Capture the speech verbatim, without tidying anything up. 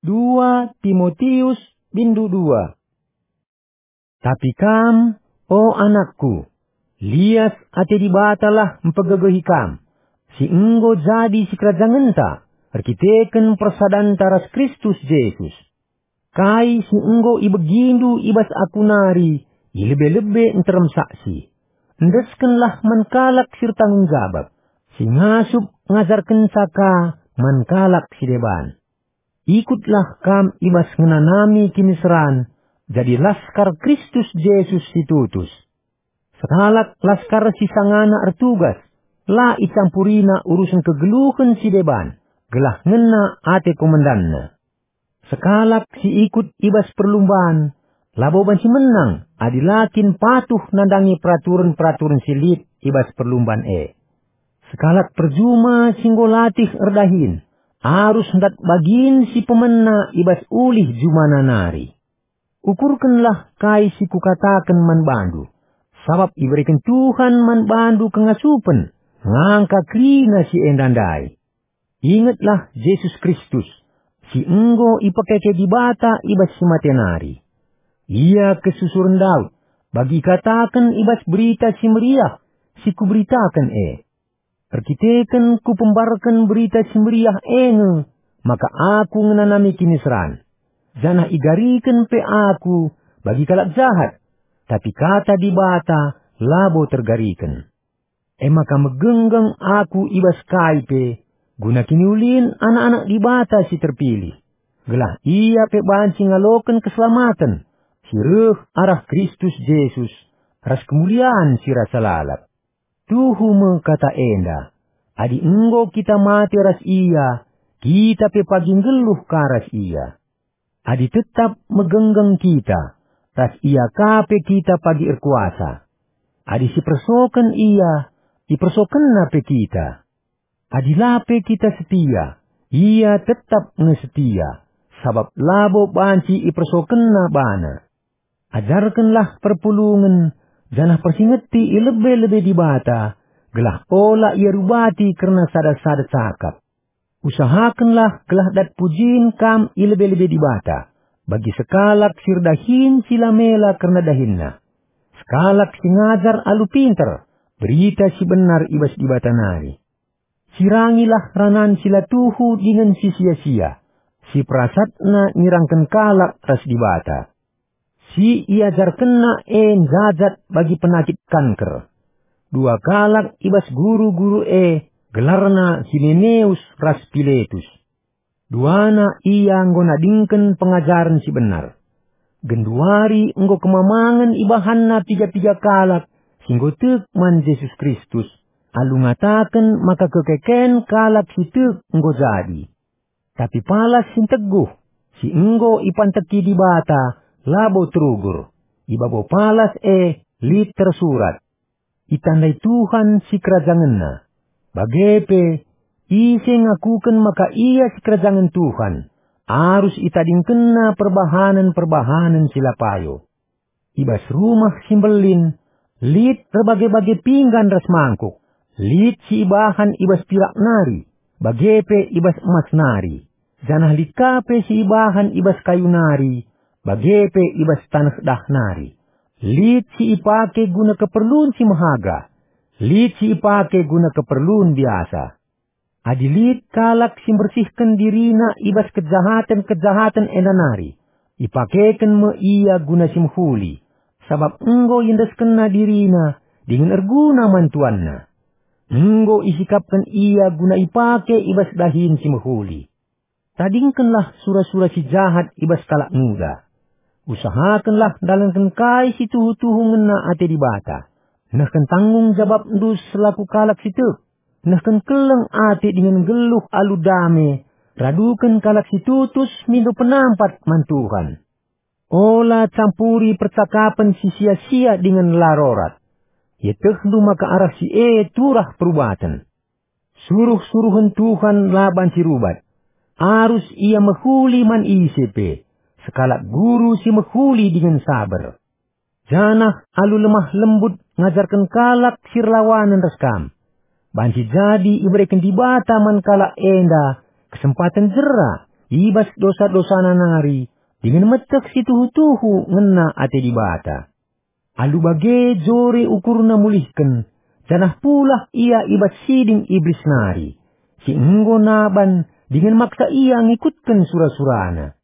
Dua Timotius bindu dua. Tapi kam, o anakku, lias ate Dibatalah mpegegehi kam, si enggo jadi sikerajangenta erkiteken persadanta ras Kristus Jesus. Kai si enggo ibegindu i bas aku nari, i lebe-lebe nterem saksi. Endeskenlah man kalak si ertanggung jabap, si ngasup ngajarkenca ka man kalak si deban. Ikutlah kam i bas ngenanami kiniseran, jadi laskar Kristus Jesus si tutus. Sekalak laskar si sangana ertugas, la icampurina urusen kegeluhen si deban, gelah ngena ate komandanna. Sekalak si ikut i bas perlumban, labo banci menang adi la kin patuh nandangi peraturen-peraturen si lit i bas perlumban e. Sekalak perjuma si enggo latih erdahin, arus ndat bagin si pemena i bas ulih jumana nari. Ukurkenlah kai si kukataken man bandu, sabap ibereken Tuhan man bandu kengasupen ngangka kerina si enda ndai. Ingetlah Jesus Kristus, si enggo ipekeke Dibata i bas si mate nari. Ia kesusuren Daud, bagi ikataken i bas Berita Si Meriah si kuberitaken e. Erkiteken kupembarken Berita Si Meriah e nge, maka aku ngenanami kiniseran, janah igariken pe aku bagi kalak jahat, tapi kata Dibata labo tergariken. E maka megenggeng aku i bas kai pe, guna kiniulin anak-anak Dibata si terpilih, gelah ia pe banci ngaloken keselamaten si reh arah Kristus Jesus ras kemulian si rasa lalap. Tuhu me kata enda, adi enggo kita mate ras ia, kita pe pagi nggeluh ka ras ia. Adi tetap megenggeng kita, ras ia ka pe kita pagi erkuasa. Adi sipersoken ia, ipersokenna pe kita. Adi la pe kita setia, ia tetap nge setia, sabap labo banci ipersokenna bana. Ajarkenlah perpulungen, janah persingeti i lebe-lebe Dibata, gelah ola ia rubati kerna sada-sada cakap. Usahakenlah gelah dat pujin kam i lebe-lebe Dibata, bagi sekalak si erdahin si la mela kerna dahinna. Sekalak si ngajar alu pinter berita si benar i bas Dibata nari. Sirangilah ranan si la tuhu dingen si sia-sia, si perasatna nirangken kalak ras Dibata. Si iajarkenna e njajat bagi penakit kanker. Dua kalak i bas guru-guru e, gelarna Himeneus ras Piletus. Duana ia enggo nadingken pengajaren si benar. Genduari enggo kemamangen ibahanna piga-piga kalak si enggo tek man Jesus Kristus, alu ngataken maka kekeken kalak si tek enggo jadi. Tapi palas si nteguh, si enggo ipanteki Dibata, labo terugur. I babo palas e lit tersurat, "Itandai Tuhan sikerajangenna." Bage pe, ise ngakuken maka ia sikerajangen Tuhan, arus itadingkenna perbahanen-perbahanen si la payo. I bas rumah si mbelin, lit erbage-bage pinggan ras mangkuk, lit si ibahan i bas pirak nari, bage pe i bas emas nari, janah lit ka pe si ibahan i bas kayu nari, bage pe i bas taneh dah nari. Lit si ipake guna keperlun si mehaga, lit si ipake guna keperlun biasa. Adi lit kalak si mbersihken dirina i bas kejahaten-kejahaten enda nari, ipakeken me ia guna si mehuli, sabap enggo iendeskenna dirina dingen erguna man tuanna. Enggo isikapken ia guna ipake i bas dahin si mehuli. Tadingkenlah sura-sura si jahat i bas kalak nguda. Usahakenlah ndalanken kai si tuhu-tuhu ngena ate Dibata, nehken tanggung jabapndu selaku kalak si tek, nehken keleng ate dingen nggeluh alu dame, raduken kalak si tutus mindo penampat man Tuhan. Ola campuri percakapen si sia-sia dingen la rorat. Ietehndu maka arah si e turah perubaten. Suruh-suruhen Tuhan la banci rubat. Arus ia mehuli man ise pe, sekalak guru si mehuli dingen saber. Janah alu lemah lembut ngajarken kalak si erlawanen ras kam. Banci jadi ibereken Dibata man kalak enda kesempaten jera i bas dosa-dosana nari, dingen meteh si tuhu-tuhu ngena ate Dibata. Alu bage jore ukurna mulihken, janah pulah ia i bas siding Iblis nari, si enggo naban dingen maksa ia ngikutken sura-surana.